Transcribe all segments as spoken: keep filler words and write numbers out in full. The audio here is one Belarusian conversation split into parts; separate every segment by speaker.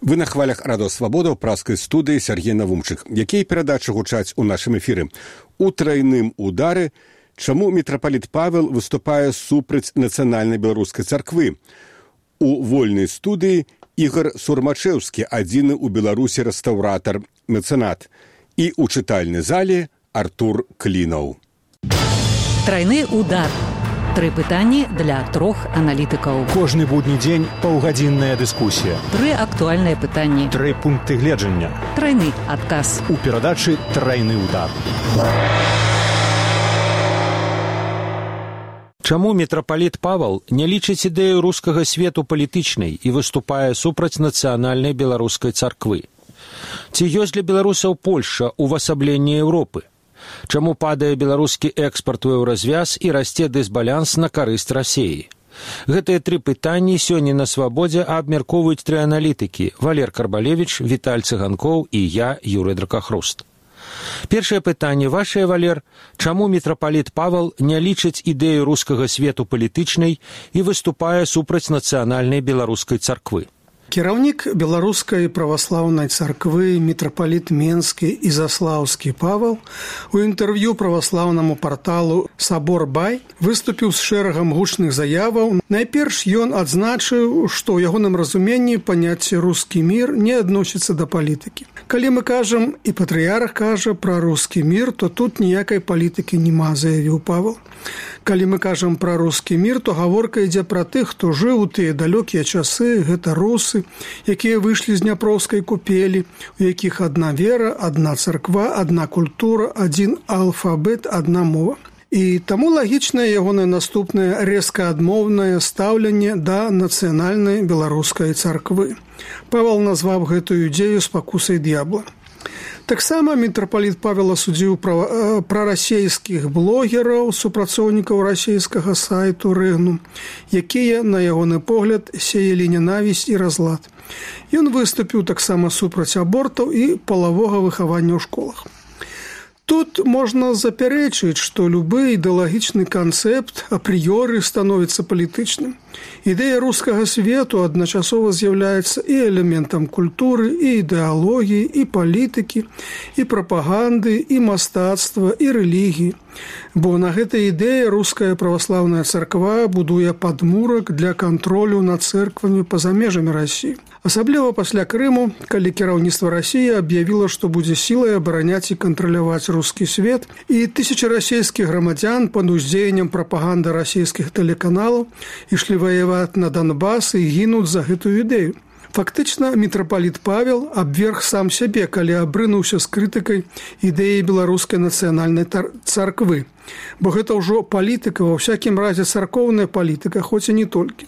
Speaker 1: Вы на хвалях Радио Свабода ў праскай студыі Сергей Навумчык. Якія перадачы гучаць у нашым эфіры? У трайным удары чаму мітрапаліт Павел выступае супраць нацыянальнай беларускай царквы? У вольнай студыі Ігор Сурмачэўскі, адзіны ў Беларусі рэстаўратар, мецэнат. І ў чытальнай зале Артур Клінаў.
Speaker 2: Трайны удар. Тры пытанні для трох аналітыкаў.
Speaker 3: Кожны будні дзень паўгадзінная дыскусія.
Speaker 2: Тры актуальныя пытанні.
Speaker 3: Тры пункты гледжання.
Speaker 2: Трайны адказ.
Speaker 3: У перадачы «Трайны удар».
Speaker 4: Чаму мітрапаліт Павал не лічыць ідэю рускага свету палітычнай і выступае супраць нацыянальнай беларускай царквы? Ці ёсць для беларусаў Польшча ўвасабленне Еўропы? Чаму падае беларускі экспарт у еўразвяз і расце дысбаланс на карысць Расіі? Гэтыя тры пытанні сёння на Свабодзе абмяркоўваюць тры аналітыкі – Валер Карбалевіч, Віталь Цыганкоў і я, Юрый Дракахруст. Першае пытанне вашае, Валер. Чаму мітрапаліт Павал не лічыць ідэю рускага свету палітычнай і выступае супраць нацыянальнай беларускай царквы?
Speaker 5: Кіраўнік беларускай праваслаўнай царквы мітрапаліт Менскі і Заслаўскі Павал у інтэрв'ю праваслаўнаму парталу «Сабор.Бай» выступіў з шэрагам гучных заяваў. Найперш ён адзначыў, што ў ягоным разуменні паняцце «рускі мір» не адносіцца да палітыкі. Калі мы кажам, і патрыярх кажа пра рускі мір, то тут ніякай палітыкі нема, заявіў Павал. Калі мы кажам пра рускі мір, то гаворка ідзе пра тых, хто жыў у тыя далёкія часы, гэта русы, якія выйшлі з дняпроўскай купелі, у якіх адна вера, адна царква, адна культура, адзін алфабет, адна мова. І таму лагічнае ягонае наступнае рэзка адмоўнае стаўленне да нацыянальнай беларускай царквы. Павал назваў гэтую ідэю спакусай д'ябла. Таксама мітрапаліт Павел асудзіў прарасійскіх блогераў, супрацоўнікаў расійскага сайту «Рэгнум», якія, на ягоны погляд, сеялі ненавісць і разлад. Ён выступіў таксама супраць абортаў і палавога выхавання ў школах. Тут можна запярэчыць, што любы ідэалагічны канцэпт апрыёры становіцца палітычным. Ідэя рускага свету адначасова з'яўляецца і элементам культуры, і ідэалогіі, і палітыкі, і прапаганды, і мастацтва, і рэлігіі. Бо на гэтай ідэі руская праваслаўная царква будуе падмурак для кантролю над цэрквамі па-за межамі Расіі. Асабліва пасля Крыму, калі кіраўніцтва Расіі аб'явіла, што будзе сілай абараняць і кантраляваць рускі свет, і тысячы расійскіх грамадзян пад уздзеяннем прапаганды расійскіх тэлеканалаў ішлі ваяваць на Донбас і гінуць за гэтую ідэю. Фактычна, мітрапаліт Павел абверг сам сябе, калі абрынуўся з крытыкай ідэі беларускай нацыянальнай царквы. Бо гэта ўжо палітыка, ва ўсякім разе царкоўная палітыка, хоць і не толькі.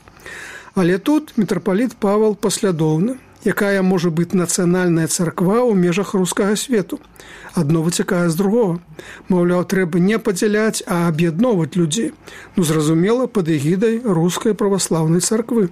Speaker 5: Але тут мітрапаліт Павел паслядоўны. Якая можа быць нацыянальная царква ў межах рускага свету? Адно выцякае з другога. Маўляў, трэба не падзяляць, а аб'ядноўваць людзей. Ну, зразумела, пад эгідай рускай праваслаўнай царквы.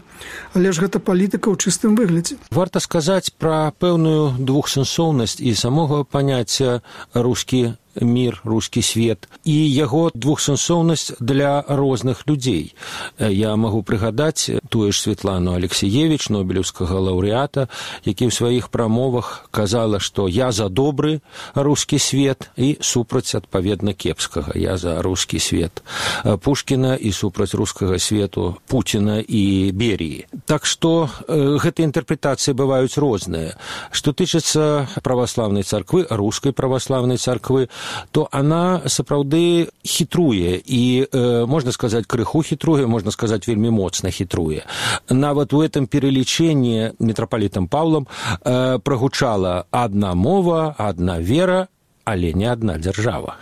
Speaker 5: Але ж гэта палітыка ў чыстым выглядзе.
Speaker 4: Варта сказаць пра пэўную двухсэнсоўнасць і самога паняцця рускі мір, рускі свет, і яго двухсэнсоўнасць для розных людзей. Я магу прыгадаць тую ж Светлану Алексеевіч, нобелеўскага лаўрэата, які ў сваіх прамовах казала, што я за добры рускі свет і супраць, адпаведна, кепскага. Я за рускі свет Пушкіна і супраць рускага свету Пуціна і Беріі. Так што э, гэтыя інтэрпрэтацыі бываюць розныя. Што тычыцца праваслаўнай царквы, рускай праваслаўнай царквы, то она сапраўды хітруе і, э, можна сказаць, крыху хітруе, можна сказаць, вельмі моцна хітруе. Нават у этом переліченні мітрапалітам Павлам э, прагучала адна мова, адна вера, але не адна дзяржава.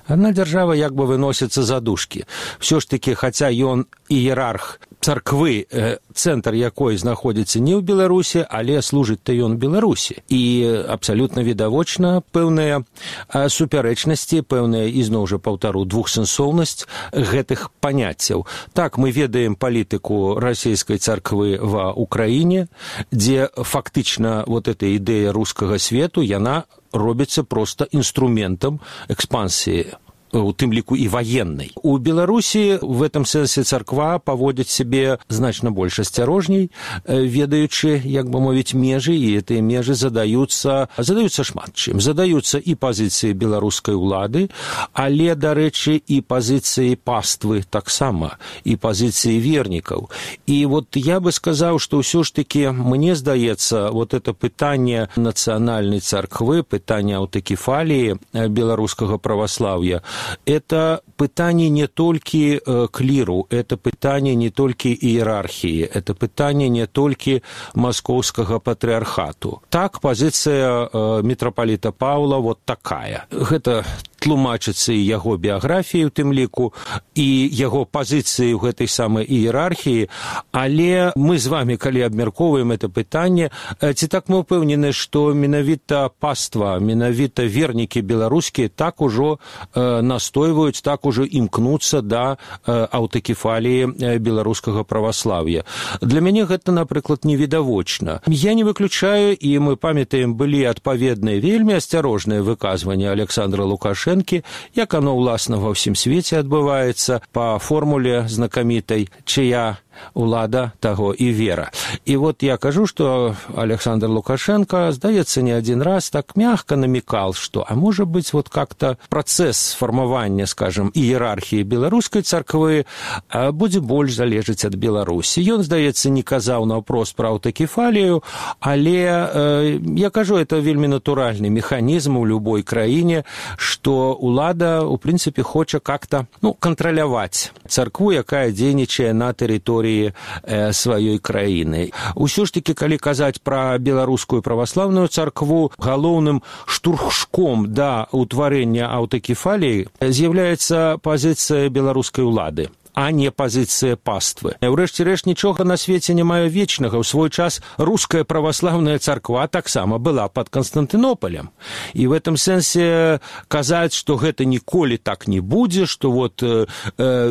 Speaker 4: Адна дзяржава як бы выносіцца за дужкі. Всё ж такі, хаця ён іерарх царквы, цэнтр якой знаходзіцца не ў Беларусі, але служыць-то ён Беларусі. І абсалютна відавочна пэўныя супярэчнасці, пэўная, ізноў жа паўтару, двухсэнсоўнасць гэтых паняццяў. Так, мы ведаем палітыку расійскай царквы ва Украіне, дзе фактычна вот эта ідэя рускага свету, яна робіцца проста інструментам экспансіі у тым ліку і ваеннай. У Беларусі в этом сэнсе царква паводзіць сябе значна больш асцярожней, ведаючы, як бы мовіць, межы, і гэтыя межы задаюцца, задаюцца шмат чым. Задаюцца і пазіцыі беларускай улады, але, дарэчы, і пазіцыі паствы таксама, і пазіцыі вернікаў. І вот я бы сказаў, што ўсё ж такі, мне здаецца, вот это пытанне нацыянальнай царквы, пытанне аўтакефаліі беларускага праваслаўя, это пытанне не толькі кліру, это пытанне не толькі іерархіі, это пытанне не толькі маскоўскага патрыархату. Так, пазіцыя мітрапаліта Паўла вот такая. Гэта тлумачыцца і яго біяграфіі ў тым ліку, і яго пазіцыі ў гэтай самай іерархіі, але мы з вамі, калі абмяркоўваем это пытанне, ці так мы ўпэўнены, што менавіта паства, менавіта вернікі беларускія так ужо э, настойваюць, так ужо імкнуцца да э, аўтакефаліі беларускага праваслаўя. Для мяне гэта, напрыклад, невідавочна. Я не выключаю, і мы памятаем, былі адпаведныя вельмі асцярожныя выказванні Александра Лукашэнкі, як оно, ўласна, ва ўсім свеце адбываецца па формуле знакамітай, чыя улада, таго і вера. І вот я кажу, што Александр Лукашенко, здаецца, не один раз так мягко намекал, что, а может быть, вот как-то процесс формования, скажем, иерархии беларускай царквы будзе больш залежаць ад Беларусі. Ён, здаецца, не казаў наўпрост пра аўтакефалію, але э, я кажу, это вельмі натуральны механізм у любой краіне, што улада, у прынцыпе, хоча как-то, ну, кантраляваць царкву, якая дзейнічае на тэрыторыі сваёй краіны. Усё ж такі, калі казаць пра беларускую праваслаўную царкву, галоўным штурхшком да ўтварэння аўтакефаліі з'яўляецца пазіцыя беларускай улады, а не пазіцыя паствы. Урэшце рэшт, нічога на свеце не мае вечнага. У свой час руская праваслаўная царква таксама была пад Канстантынополем. І в этом сэнсе казаць, што гэта ніколі так не будзе, што вот э,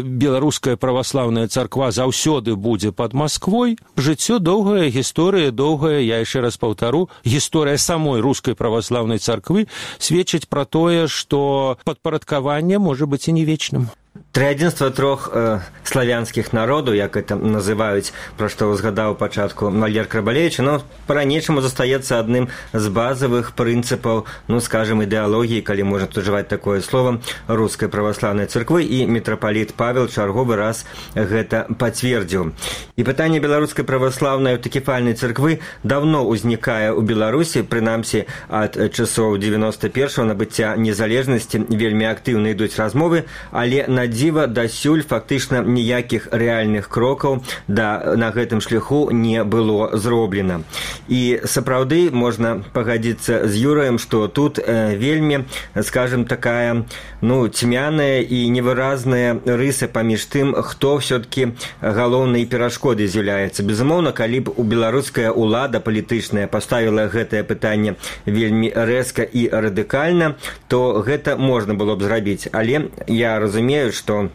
Speaker 4: беларуская праваслаўная царква заўсёды будзе пад Масквой. Жыццё доўгая, гісторыя доўгая, я яшчэ раз паўтару, гісторыя самой рускай праваслаўнай царквы сведчыць пра тое, што падпарадкаванне можа быць і не вечным.
Speaker 6: Триадзінства трох э, славянскіх народаў, як это называюць, пра што згадаў пачатку Валер Крабалевіч, но па-ранейшаму застаецца адным з базавых прынцыпаў, ну, скажем, ідэалогіі, калі можна ужываць такое слово, рускай праваслаўнай царквы, і мітрапаліт Павел чарговы раз гэта пацвердзіў. І пытанне беларускай праваслаўнай аўтакефальнай царквы даўно ўзнікае ў Беларусі, прынамсі ад часоў девяносто первого набыцця незалежнасці вельмі актыўна ідуць размовы, але на дзіва дасюль фактычна ніякіх рэальных крокаў да, на гэтым шляху не было зроблена. І сапраўды можна пагадзіцца з Юраем, што тут э, вельмі, скажем, такая, ну, цьмяная і невыразная рыса паміж тым, хто ўсё-такі галоўнай перашкодай з'яўляецца. Безумоўна, калі б у беларуская улада палітычная паставіла гэтае пытанне вельмі рэзка і радыкальна, то гэта можна было б зрабіць. Але я разумею, что,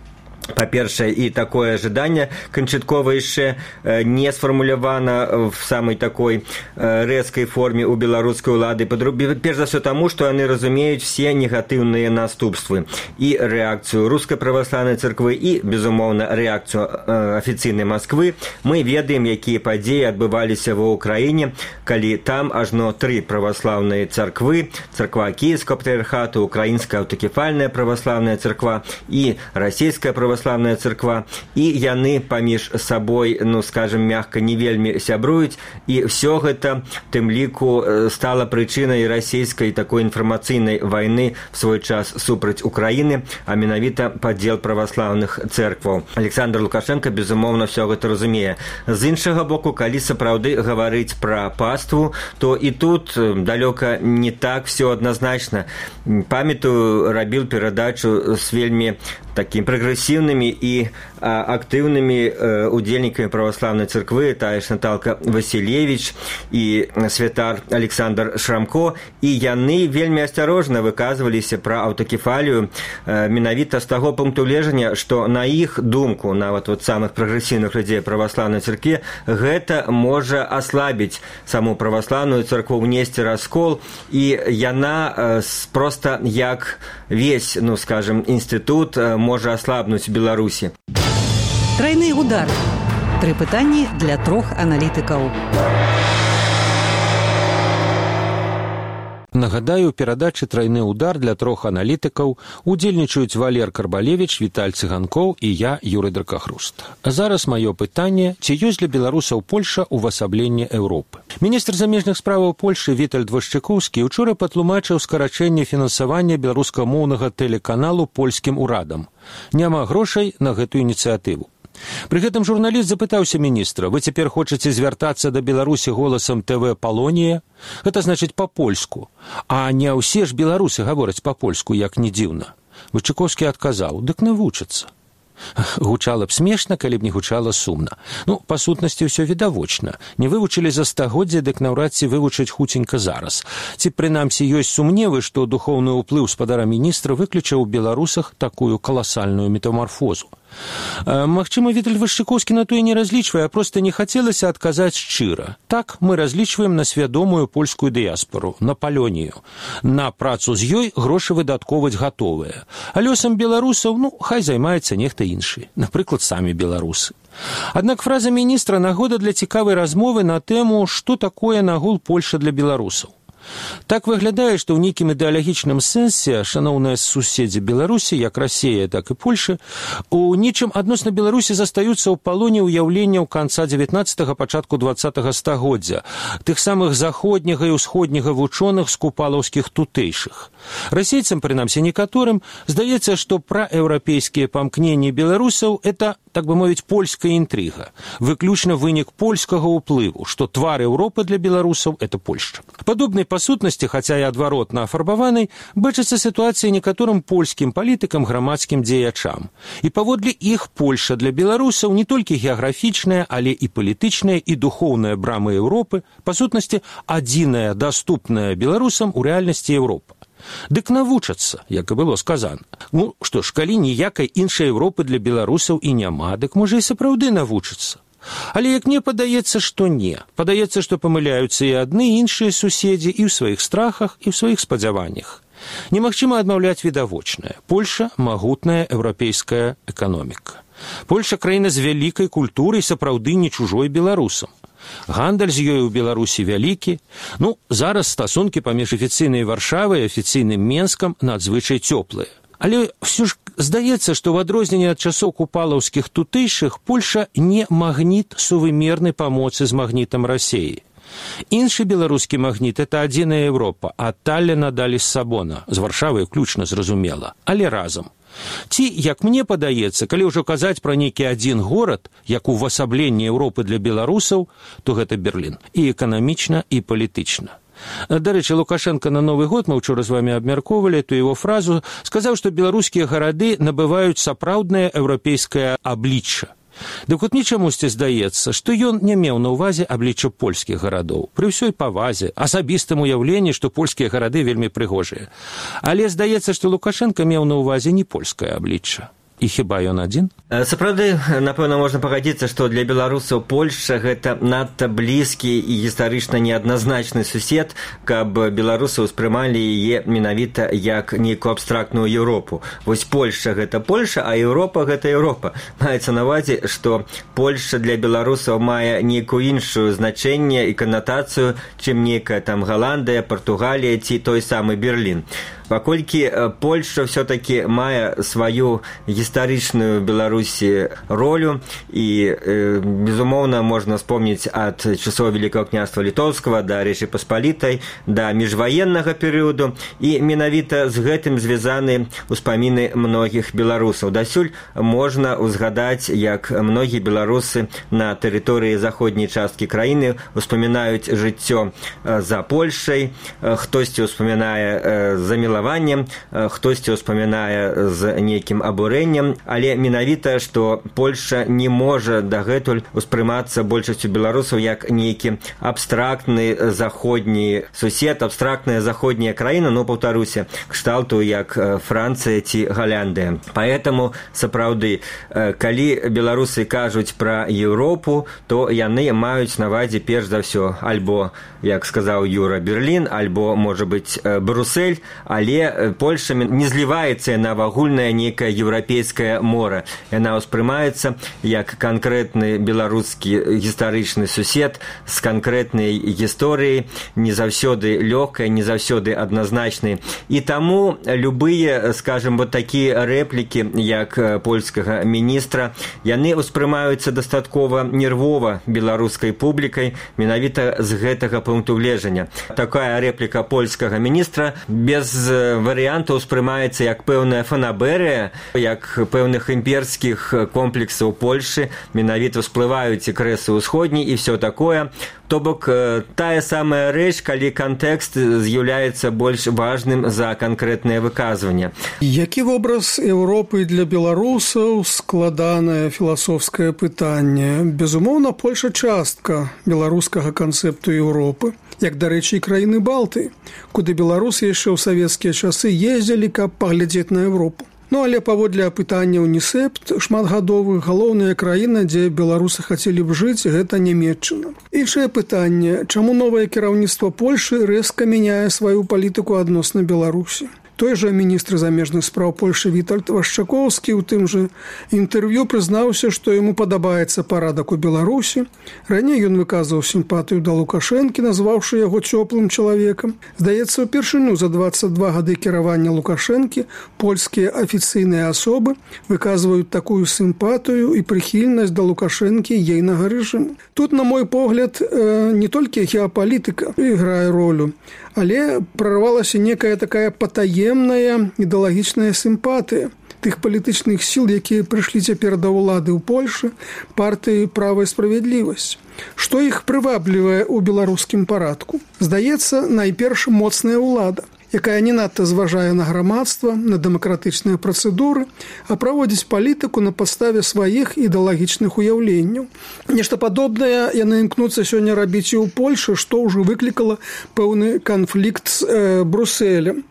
Speaker 6: по-першае, і такое ожидание канчаткова яшчэ не сфармулявана в самой такой рэзкай форме у беларускай улады. Перш за все таму, што яны разумеюць все негатыўныя наступствы і рэакцыю рускай праваслаўнай царквы і, безумоўна, рэакцыю афіцыйнай Масквы. Мы ведаем, якія падзеі адбываліся ва ўкраіне, калі там ажно тры праваслаўныя царквы: царква кіеўскага патрыархату, украінская аўтакефальная праваслаўная царква і расійская праваслаўная праваслаўная царква, і яны паміж сабой, ну, скажем, мягка, не вельмі сябруюць, і ўсё гэта, тым ліку, стала прычынай расійскай такой інфармацыйнай вайны в свой час супраць Украіны, а менавіта падзел праваслаўных цэркваў. Александр Лукашенко, безумоўна, ўсё гэта разумее. З іншага боку, калі сапраўды гаварыць пра паству, то і тут далёка не так всё адназначна. Памятаю, рабіў перадачу з вельмі такім прагрэсіўным пасіўнымі і актыўнымі удзельнікамі праваслаўнай царквы, тая ж Наталка Васілевіч і святар Александр Шрамко, і яны вельмі асцярожна выказваліся пра аўтакефалію менавіта з таго пункту гледжання, што на іх думку, нават вот самых прагрэсіўных людзей праваслаўнай царкве, гэта можа аслабіць саму праваслаўную царкву, внесці раскол, і яна проста як весь, ну скажем, інстытут можа аслабнуць Беларусі.
Speaker 2: Трайны удар. Тры пытанні для трох аналітыкаў.
Speaker 4: Нагадаю, у перадачы «Трайны удар» для трох аналітыкаў удзельнічаюць Валер Карбалевіч, Віталь Цыганкоў і я, Юрый Дракахруст. А зараз маё пытанне, ці ёсць для беларусаў Польша ўвасабленне Еўропы? Міністр замежных справаў Польшы Вітальд Вашчыкоўскі учора патлумачыў скарачэнне фінансавання беларускамоўнага тэлеканалу польскім урадам. Няма грошай на гэтую ініцыятыву. Пры гэтым журналіст запытаўся міністра: «Вы цяпер хочаце звяртацца да Беларусі голасам ТВ «Палонія»? Гэта значыць па-польску. А не ўсе ж беларусы гавораць па-польску, як не дзіўна». Вачыкоўскі адказаў: «Дык навучацца». Гучала б смешна, калі б не гучала сумна. Ну, па сутнасці ўсё відавочна. Не вывучылі за стагоддзя, дык наўрад ці вывучыць хуценька зараз. Ці, прынамсі, ёсць сумневы, што духоўны ўплыў спадара міністра выключыў у беларусах такую каласальную метамарфозу. Магчыма, Віталь Вашчыкоўскі на тое не разлічвае, а проста не хацелася адказаць шчыра. Так, мы разлічваем на свядомую польскую дыяспору, на палонію. На працу з ёй грошы выдаткоўваць гатовыя. А лёсам беларусаў, ну, хай займаецца нехта іншы. Напрыклад, самі беларусы. Аднак фраза міністра нагода для цікавай размовы на тэму, што такое нагул Польша для беларусаў. Так выглядае, што ў нейкім ідэалагічным сэнсе шаноўныя суседзі Беларусі, як Расія, так і Польша, у нечым адносна Беларусі застаюцца ў палоне ўяўленняў канца дзевятнаццатага, пачатку дваццатага стагоддзя, тых самых заходняга і ўсходняга вучоных з купалаўскіх тутэйшых. Расейцам, прынамсі некаторым, здаецца, што праеўрапейскія памкненні беларусаў – это, так бы мовіць, польская інтрыга, выключна вынік польскага ўплыву, што твар Еўропы для беларусаў – это Польшча. Падобнай па сутнасці, хаця і адваротна афарбаванай, бачыцца сітуацыя некаторым польскім палітыкам, грамадскім дзеячам. І паводле іх Польша для беларусаў не толькі геаграфічная, але і палітычная, і духоўная брама Еўропы, па сутнасці адзіная, даступная беларусам у рэальнасці Еўропа. Дык навучацца, як і было сказана. Ну, што ж, калі ніякай іншай Еўропы для беларусаў і няма, дык можа і сапраўды навучацца. Але як мне падаецца, што не. Падаецца, што памыляюцца і адны, і іншыя суседзі і ў сваіх страхах, і ў сваіх спадзяваннях. Немагчыма адмаўляць відавочнае. Польша – магутная еўрапейская эканоміка. Польша – краіна з вялікай культурай, сапраўды не чужой беларусам. Гандаль з ёй у Беларусі вялікі. Ну, зараз стасункі паміж афіцыйнай Варшавай і афіцыйным Менскам надзвычай цёплыя. Але ўсё ж здаецца, што ў адрозненне ад часоў купалаўскіх тутэйшых Польша не магніт сувымернай памоцы з магнітам Расіі. Іншы беларускі магніт – это адзіная Еўропа, а Талліна далі з Сабона, з Варшавай уключна, зразумела, але разам. Ці, як мне падаецца, калі ўжо казаць пра нейкі адзін горад, як увасабленне Еўропы для беларусаў, то гэта Берлін. І эканамічна, і палітычна. Дарэчы, Лукашенко на Новы год, мы ўчора з вамі абмяркоўвалі ту яго фразу, сказаў, што беларускія гарады набываюць сапраўднае еўрапейскае аблічча. Дык от мне чамусьці здаецца, што ён не меў на ўвазе аблічча польскіх гарадоў. Пры ўсёй павазе, асабістым уяўленні, што польскія гарады вельмі прыгожыя. Але здаецца, што Лукашенко меў на ўвазе не польскае аблічча. І хіба ён адзін?
Speaker 6: Сапраўды, напэўна, можна пагадзіцца, што для беларусаў Польшча гэта надта блізкі і гістарычна неадназначны сусед, каб беларусы ўспрымалі яе менавіта як нейкую абстрактную Еўропу. Вось Польшча гэта Польша, а Еўропа гэта Еўропа. Маецца на ўвазе, што Польшча для беларусаў мае нейкую іншую значэнне і канатацыю, чым нейкая там Галандыя, Партугалія ці той самы Берлін. Паколькі Польшча ўсё-такі мае сваю гістарычную Беларусі ролю і, э, безумоўна, можна вспомніць ад часоў Великого княства Літоўскага да Рэчы Паспалітай, да міжваеннага перыяду, і менавіта з гэтым звязаны ўспаміны многіх беларусаў. Дасюль можна ўзгадаць, як многія беларусы на тэрыторыі заходняй часткі краіны ўспамінаюць жыццё за Польшай, хтосьці ўспамінае за Мілаваннем расчараваннем, хтосьці ўспамінае з нейкім абурэннем, але менавіта, што Польша не можа дагэтуль успрымацца большасцю беларусаў як нейкі абстрактны заходні сусед, абстрактная заходняя краіна, но, паўтаруся, кшталту як Францыя ці Галяндыя. Поэтому, сапраўды, калі беларусы кажуць пра Еўропу, то яны маюць на ўвазе перш за ўсё альбо, як сказаў Юра, Берлін, альбо, можа быць, Брюссель, але Польша не зліваецца на агульнае нейкае еўрапейскае мора. Яна ўспрымаецца як канкрэтны беларускі гістарычны сусед з канкрэтнай гісторыяй, не заўсёды лёгкай, не заўсёды адназначнай. І таму любыя, скажем, вот такія рэплікі, як польскага міністра, яны ўспрымаюцца дастаткова нервова беларускай публікай менавіта з гэтага пункту гледжання. Такая рэпліка польскага міністра без варыянтаў успрымаецца як пэўная фанаберыя, як пэўных імперскіх комплексаў Польшы, менавіта всплываюць і крэсы ўсходні і все такое. То бок, тая самая рэч, калі кантэкст з'яўляецца больш важным за канкрэтнае выказванне.
Speaker 5: Які вобраз Еўропы для беларусаў? Складанае філасофскае пытанне. Безумоўна, Польша частка беларускага канцэпту Еўропы, як, дарэчы, і краіны Балтыі, куды беларусы яшчэ ў савецкія часы ездзілі, каб паглядзець на Еўропу. Ну, але паводле апытання УНІСЭП шматгадовых, галоўная краіна, дзе беларусы хацелі б жыць, гэта Нямецчына. Іншае пытанне, чаму новае кіраўніцтва Польшы рэзка мяняе сваю палітыку адносна Беларусі? Той жа міністр замежных спраў Польшы Вітальд Вашчакоўскі ў тым жа інтэрв'ю прызнаўся, што яму падабаецца парадак у Беларусі. Раней ён выказваў сімпатыю да Лукашэнкі, назваўшы яго цёплым чалавекам. Здаецца, упершыню за дваццаць два гады кіравання Лукашэнкі польскія афіцыйныя асобы выказваюць такую сімпатыю і прыхільнасць да Лукашэнкі ейнага рэжыму. Тут, на мой погляд, не толькі геапалітыка іграе ролю, але прорвалася некая такая патаемная ідэалагічная сімпатыя тых палітычных сіл, якія прыйшлі цяпер да ўлады ў Польшы, партыі «Права і справядлівасць». Што іх прываблівае ў беларускім парадку? Здаецца, найперш моцная ўлада, якая не надта зважае на грамадства, на дэмакратычныя працэдуры, а праводзіць палітыку на падставе сваіх ідэалагічных уяўленняў. Нешта падобнае яны імкнуцца сёння рабіць і ў Польшы, што ўжо выклікала пэўны канфлікт з э, Брусселем.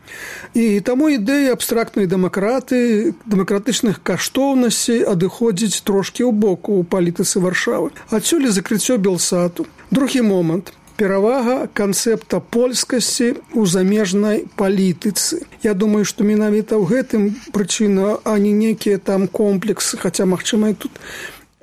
Speaker 5: І таму ідэя абстрактнай дэмакраты, дэмакратычных каштоўнасцей адыходзіць трошкі ў боку ў палітыцы Варшавы. Адсюль закрыццё Белсату. Другі момант. Перавага канцэпта польскасці ў замежнай палітыцы. Я думаю, што менавіта ў гэтым прычына, а не нейкія там комплексы, хаця, магчыма, і тут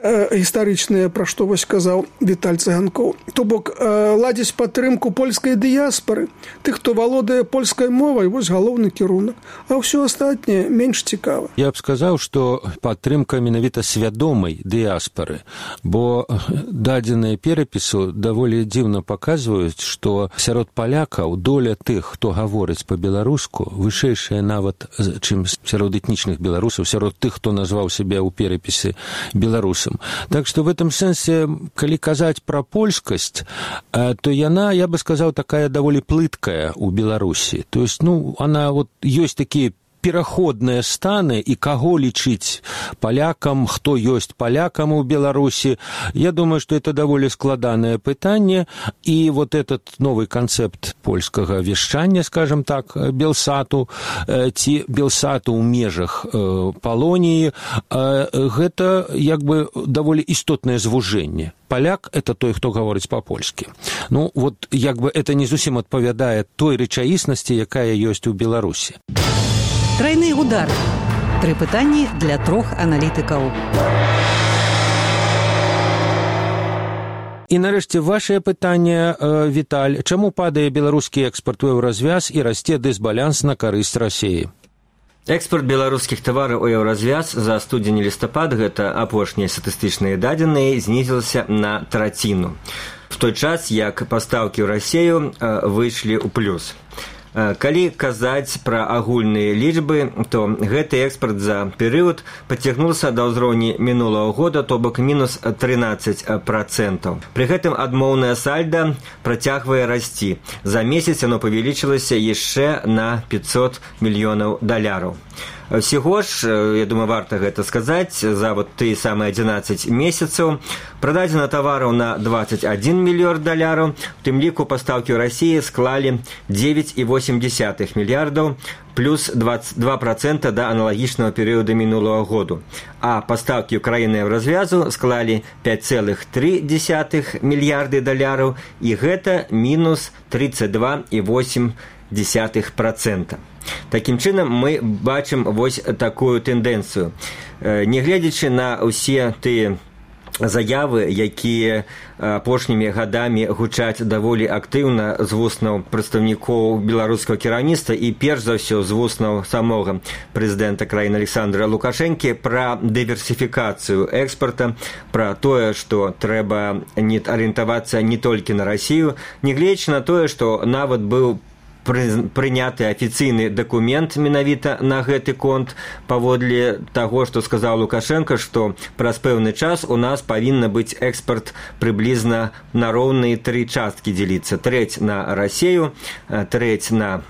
Speaker 5: э, гістарычныя, пра што вось казаў Віталь Цыганкоў. То бок, э, ладзіць падтрымку польскай дыяспары, тых, хто валодае польскай мовай, вось галоўны кірунак, а ўсё астатняе менш цікава.
Speaker 4: Я б сказаў, што падтрымка менавіта свядомай дыяспары, бо дадзеныя перапісу даволі дзіўна паказваюць, што сярод палякаў доля тых, хто гаворыць па-беларуску, вышэйшая нават, чым сярод этнічных беларусаў, сярод тых, хто назваў сябе ў перапісы беларусам. Так што в этом сэнсе, калі казаць пра польскасць, то яна, я бы сказаў, такая даволі плыткая ў Беларусі. То есть, ну, она вот ёсць такія пераходныя станы, і каго лічыць палякам, хто ёсць палякам у Беларусі. Я думаю, што это даволі складанае пытанне, і вот этот новый канцэпт польскага вяшчання, скажем так, Белсату, ці Белсату ў межах Палоніі, гэта як бы даволі істотнае звужэнне. Паляк – это той, хто гаворыць па-польскі. Ну, вот як бы это не зусім адпавядае той рэчаіснасці, якая ёсць у Беларусі.
Speaker 2: Тройны удар. Тры пытанні для трох аналітыкаў.
Speaker 4: І нарэшце вашае пытанне, Віталь, чаму падае беларускі экспарт у еўразвяз і расце дысбаланс на карысць Расіі?
Speaker 6: Экспорт беларускіх тавараў у еўразвяз за студзень-лістапад, гэта апошнія статыстычныя дадзеныя, знізілася на траціну. В той час, як пастаўкі ў Расію выйшлі ў плюс. Калі казаць пра агульныя лічбы, то гэты экспарт за перыяд пацягнуўся да ўзроўні мінулага года, то бок мінус трынаццаць працэнтаў. Пры гэтым адмоўная сальда працягвае расці. За месяц оно павялічылася яшчэ на пятьсот мільёнаў даляраў. Всего ж, я думаю, варта гэта сказаць, за вот тыя самыя адзінаццаць месяцаў прададзена тавараў на двадцать один мільёрд даляраў, у тым ліку пастаўкі ў Расіі склалі девять и восемь десятых мільярдаў, плюс двадцать два процента да аналагічнага перыяда мінулага году. А пастаўкі ў краіны Еўразвязу склалі пять целых три десятых мільярды даляраў, і гэта мінус тридцать два и восемь десятых процента. Такім чынам мы бачым вось такую тэндэнцыю. Нягледзячы на ўсе тыя заявы, якія апошнімі гадамі гучаць даволі актыўна з вуснаў прадстаўнікоў беларускага кіраўніцтва і перш за ўсё з вуснаў самога прэзідэнта краіны Александра Лукашэнкі пра дыверсіфікацыю экспарта, пра тое, што трэба не арыентавацца не толькі на Расію, нягледзячы на тое, што нават быў прыняты афіцыйны дакумент менавіта на гэты конт, паводле таго, што сказаў Лукашенко, што праз пэўны час у нас павінна быць экспарт прыблізна на роўныя тры часткі дзеліцца. Трэць на Расію, трэць на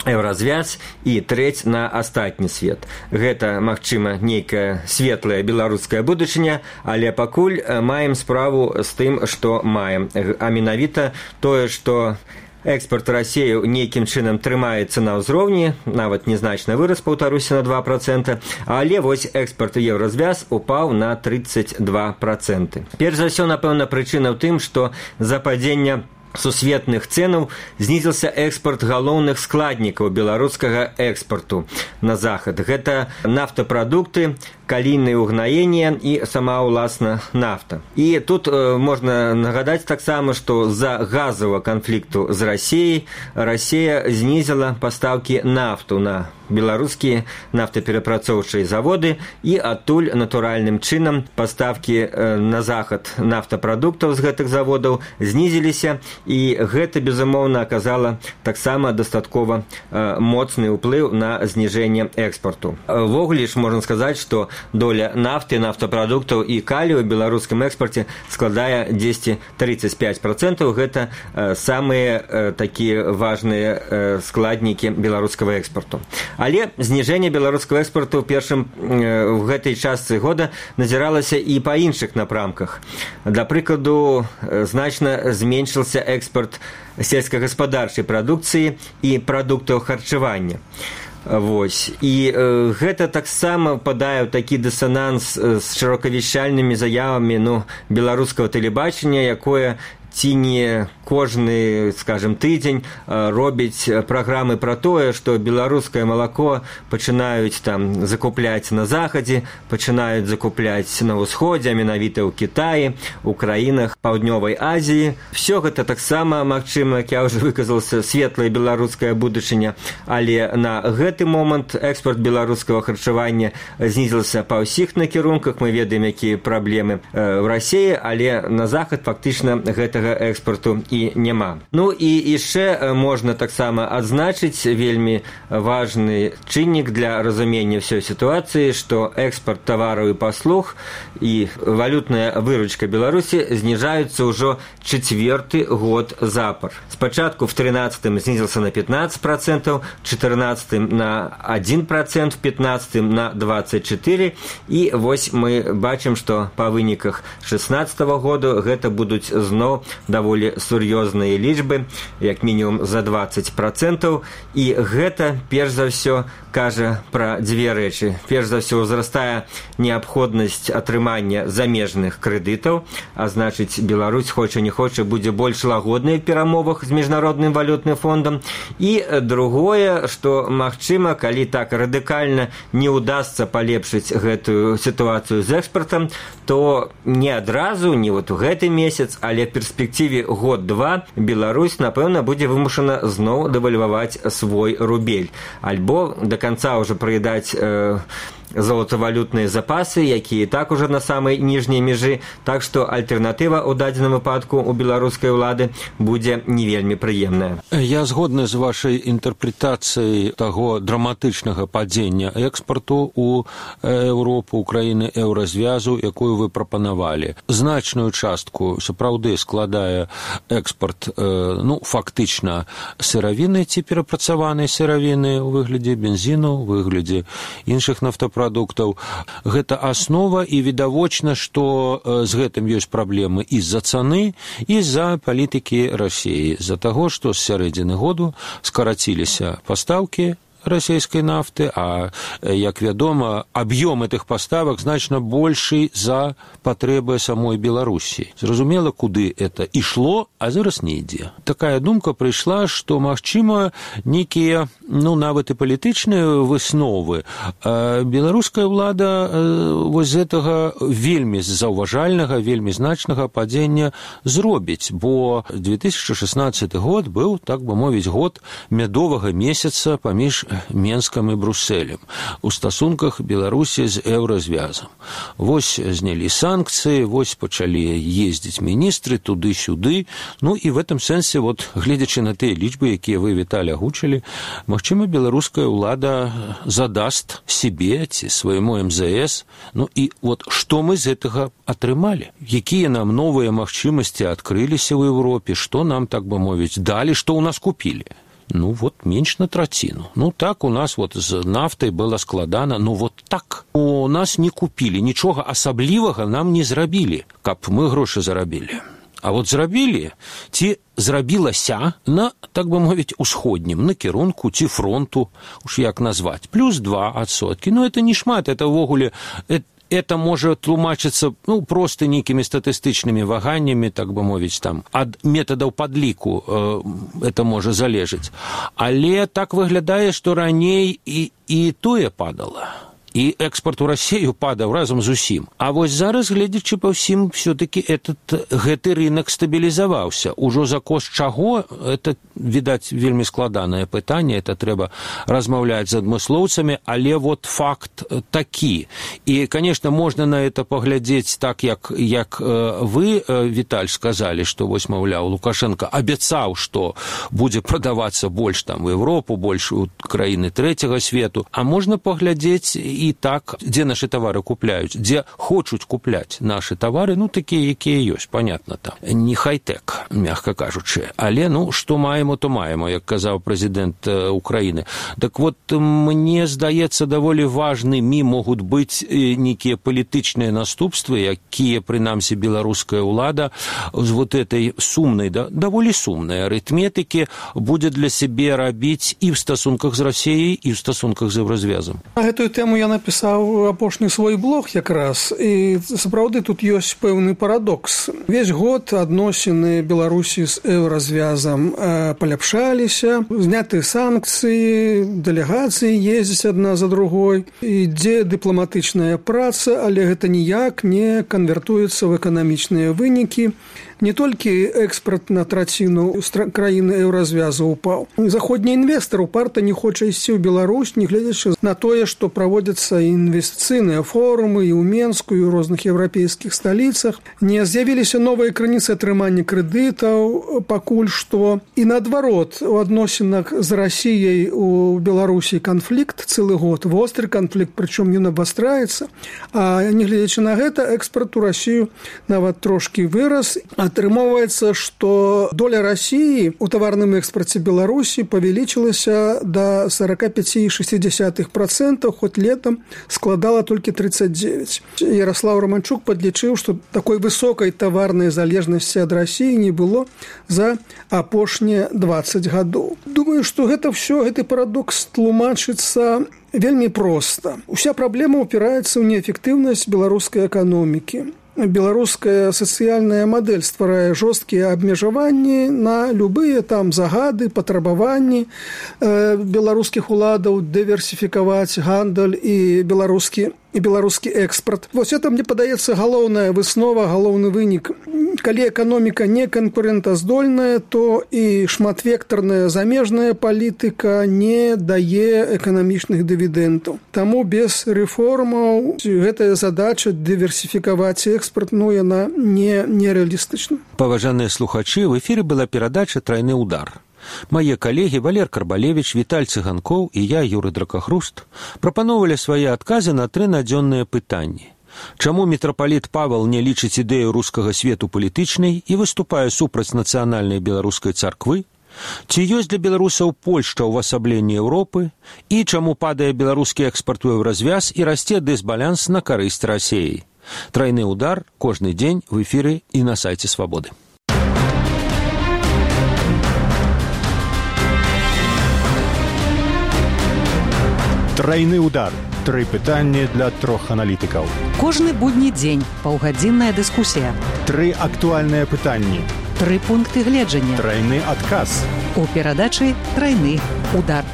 Speaker 6: Еўразвяз і трэць на астатні свет. Гэта, магчыма, нейкая светлая беларуская будучыня, але пакуль маем справу з тым, што маем. А менавіта тое, што экспорт Расіі нейкім чынам трымаецца на ўзроўні, нават незначна вырас, паўтаруся, на два процента, але вось экспорт Еўразвяз упаў на тридцать два процента. Перш за ўсё, напэўна, прычына ў тым, што за падзення сусветных цэнаў знізіўся экспорт галоўных складнікаў беларускага экспарту на захад. Гэта нафтапрадукты, калійнае ўгнаенне і сама ўласна нафта. І тут э, можна нагадаць таксама, што з-за газавага канфлікту з Расіяй Расія знізіла пастаўкі нафту на беларускія нафтаперапрацоўчыя заводы, і адтуль натуральным чынам пастаўкі э, на захад нафтапрадуктаў з гэтых заводаў знізіліся, і гэта, безумоўна, аказала таксама дастаткова э, моцны ўплыў на зніжэнне экспарту. Ввогуле ж можна сказаць, што доля нафты, нафтапрадуктаў і калію ў беларускім экспарце складае дзесьці тридцать пять процентов. Гэта э, самыя э, такія важныя э, складнікі беларускага экспарту. Але зніжэнне беларускага экспарту ў першым э, в гэтай частцы года назіралася і па іншых напрамках. Да прыкладу, э, значна зменшыўся экспарт сельскагаспадарчай прадукцыі і прадуктаў харчавання. Вось. І э, гэта таксама падае ў такі дысананс з шырокавещальнымі заявамі ну, беларускага тэлебачання, якое ці не кожны, скажем, тыдзень робіць праграмы пра тое, што беларускае малако пачынаюць там закупляць на захадзе, пачынаюць закупляць на ўсходзе, менавіта ў Кітаі, у краінах Паўднёвай Азіі. Всё гэта таксама, магчыма, як я ўжо выказаўся, светлая беларуская будучыня, але на гэты момант экспорт беларускага харчавання знізіўся па ўсіх накірунках. Мы ведаем, якія праблемы ў Расіі, але на захад фактычна гэта экспорту і няма. Ну і яшчэ можна таксама адзначыць вельмі важны чыннік для разумення ўсёй сітуацыі, што экспорт тавараў і паслуг і валютная выручка Беларусі зніжаюцца ўжо чацвёрты год запар. Спачатку в тринадцатым знізіўся на пятнадцать процентов, в четырнадцатым на один процент, в пятнадцатым на двадцать четыре, і вось мы бачым, што па выніках шестнадцатого года гэта будуць зноў даволі сур'ёзныя лічбы, як мінімум за двадцать процентов, і гэта, перш за ўсё, кажа пра дзве рэчы. Перш за ўсё, узрастае неабходнасць атрымання замежных крэдытаў, а значыць, Беларусь, хоча не хоча, будзе больш лагоднай в перамовах з міжнародным валютным фондам. І другое, што, магчыма, калі так радыкальна не ўдасца палепшыць гэтую сітуацыю з экспартам, то не адразу, не вот у гэты месяц, але в перспектыве год-два Беларусь, напэўна, будзе вымушана зноў дэвальваваць свой рубель. Альбо до конца ўжо прыядаць э, золотавалютныя запасы, якія так уже на самай ніжняй межы, так што альтэрнатыва ў дадзеным выпадку у беларускай улады будзе не вельмі прыемная.
Speaker 4: Я згодны з вашай інтэрпрэтацыяй таго драматычнага падзення экспарту ў Еўропу, Украіны, еўразвязу, якую вы прапанавалі. Значную частку сапраўды складае экспорт, ну, фактычна сыравіны ці перапрацаванай сыравіны ў выглядзе бензіну, у выглядзе іншых нафтапрадуктаў. Гэта аснова, і відавочна, што з гэтым ёсць праблемы і з-за цаны, і з-за палітыкі Расіі, з-за таго, што з сярэдзіны году скараціліся пастаўкі расійскай нафты, а, як вядома, аб'ём гэтых паставак значна большы за патрэбы самой Беларусі. Зразумела, куды это ішло, а зараз не ідзе. Такая думка прыйшла, што, магчыма, нейкія, ну, нават і палітычныя высновы. Беларуская ўлада вось з гэтага вельмі заўважальнага, вельмі значнага падзення зробіць, бо две тысячы шаснаццаты год быў, так бы мовіць, год мядовага месяца паміж Менскам і Брусэлем у стасунках Беларусі з еўразвязам. Вось знялі санкцыі, вось пачалі ездзіць міністры туды-сюды. Ну і в этом сэнсе, вот, гледзячы на тыя лічбы, якія вы, Віталій, агучылі, магчыма, беларуская ўлада задаст себе ці свайму эм зэ эс. Ну і вот што мы з гэтага атрымалі? Якія нам новыя магчымасці адкрыліся ў Еўропе? Што нам, так бы мовіць, далі? Што ў нас купілі? Ну, вот, менш на траціну. Ну, так у нас вот з нафтай было складана, ну, вот так. У нас не купілі, нічога асаблівага нам не зрабілі, каб мы грошы зарабілі. А вот зрабілі, ці зрабілася на, так бы мовіць, усходнім накірунку ці фронту, уж як назваць, плюс два адсоткі. Ну, это не шмат, это ўвогуле... Это можа тлумачыцца, ну, проста нейкімі статыстычнымі ваганнямі, так бы мовіць, там, ад метадаў падліку э, это можа залежыць. Але так выглядае, што раней і, і тое падала. І экспорт у Расію падаў разам з усім. А вось зараз, гледзячы па ўсім, все-таки этот, гэты рынок стабілізаваўся. Ужо за кошт чаго, это, відаць, вельмі складанае пытанне, это трэба размаўляць з адмыслоўцамі, але вот факт такі. І, конечно, можна на это паглядзець так, як, як вы, Віталь, сказалі, што, вось, маўляў, Лукашенко абяцаў, што будзе прадавацца больш там у Еўропу, больш у краіны трэцяга свету, а можна паглядзець і так, дзе нашы тавары купляюць, дзе хочуць купляць нашы тавары, ну, такія, якія ёсць, понятно, там. Не хай-тек, мягка кажучы. Але, ну, што маемо, то маемо, як казаў прэзідэнт Украіны. Так вот, мне здаецца, даволі важнымі могуць быць нейкія палітычныя наступствы, якія, прынамсі, беларуская ўлада з вот этой сумнай, да, даволі сумнай арытметыкі будзе для сябе рабіць і ў стасунках з Расіяй, і ў стасунках з еўразвязам.
Speaker 5: На гэтую тэму я напісаў апошні свой блог якраз, і сапраўды тут ёсць пэўны парадокс. Весь год адносіны Беларусі з еўразвязам паляпшаліся, зняты санкцыі, дэлегацыі ездзяць адна за другой, ідзе дыпламатычная праца, але гэта ніяк не канвертуецца ў эканамічныя вынікі. Не толькі экспорт на траціну краіны еўразвязу упаў. Заходні інвестар упарта не хоча ісці ў Беларусь, не гледзячы на тое, што праводзяцца інвестыцыйныя форумы і ў Менску, і ў розных еўрапейскіх сталіцах. Не з'явіліся новыя крыніцы атрымання крэдытаў пакуль што. І наадварот, у адносінах з Расіяй у Беларусі канфлікт цэлы год, востры канфлікт, прычым ён абастраецца. А не гледзячы на гэта, экспорт у Расію нават трошкі вырас. Атрымоўваецца, што доля Расіі ў таварным экспарце Беларусі павялічылася да сорок пять целых шесть десятых процента, хоць летом складала толькі тридцать девять. Ярослав Романчук падлічыў, што такой высокай таварнай залежнасці ад Расіі не было за апошнія двадцать гадоў. Думаю, што гэта ўсё, гэты парадокс тлумачыцца вельмі проста. Уся праблема упіраецца ў неэфектыўнасць беларускай эканомікі. Беларуская сацыяльная мадэль стварае жорсткія абмежаванні на любыя там загады, патрабаванні э, беларускіх уладаў дыверсіфікаваць гандаль і беларускі і беларускі экспарт. Вось это, мне падаецца, галоўная выснова, галоўны вынік. Калі эканоміка не канкурэнтаздольная, то і шматвектарная замежная палітыка не дае эканамічных дывідэнтаў. Таму без рэформаў гэтая задача дыверсіфікаваць экспарт, ну, яна не, нереалістычна.
Speaker 4: Паважаныя слухачы, в эфіры была перадача «Трайны удар». Мае калегі Валер Карбалевіч, Віталь Цыганкоў і я, Юрый Дракахруст, прапаноўвалі свае адказы на тры надзённыя пытанні. Чаму мітрапаліт Павел не лічыць ідэю рускага свету палітычнай і выступае супраць нацыянальнай беларускай царквы? Ці ёсць для беларусаў Польшча ўвасабленне Еўропы? І чаму падае беларускі экспарт у еўразвяз і расце дысбаланс на карысць Расіі? Трайны удар кожны дзень в эфіры і на сайце Свабоды.
Speaker 3: Трайны удар. Тры пытанні для трох аналітыкаў.
Speaker 2: Кожны будні дзень паўгадзінная дыскусія.
Speaker 3: Тры актуальныя пытанні.
Speaker 2: Тры пункты гледжання.
Speaker 3: Трайны адказ.
Speaker 2: У перадачы «Трайны удар».